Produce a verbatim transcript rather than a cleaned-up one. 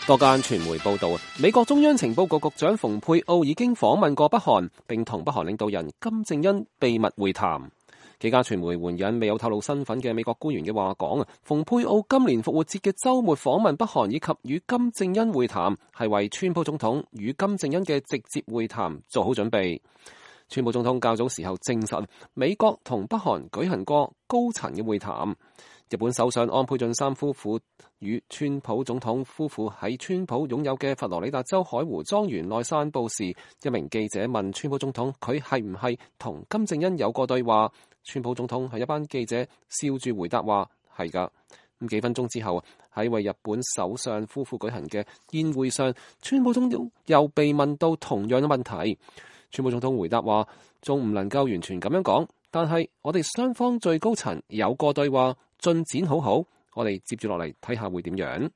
多間傳媒報道，美國中央情報局局長蓬佩奧已經訪問過北韓，並同北韓領導人金正恩秘密會談。幾家傳媒援引未有透露身份嘅美國官員嘅話講，蓬佩奧今年復活節嘅週末訪問北韓以及與金正恩會談，係為川普總統與金正恩嘅直接會談做好準備。川普總統較早時候證實，美國同北韓舉行過高層嘅會談。日本首相安倍晉三夫婦與川普總統夫婦喺川普擁有嘅佛羅里達州海湖莊園內散步時，一名記者問川普總統佢係唔係同金正恩有過對話，川普總統喺一班記者笑住回答話係㗎。咁幾分鐘之後，喺為日本首相夫婦舉行嘅宴會上，川普總統又被問到同樣嘅問題，川普總統回答話仲唔能夠完全咁樣講，但係我哋雙方最高層有過對話，進展好好，我哋接住落嚟睇下會點樣。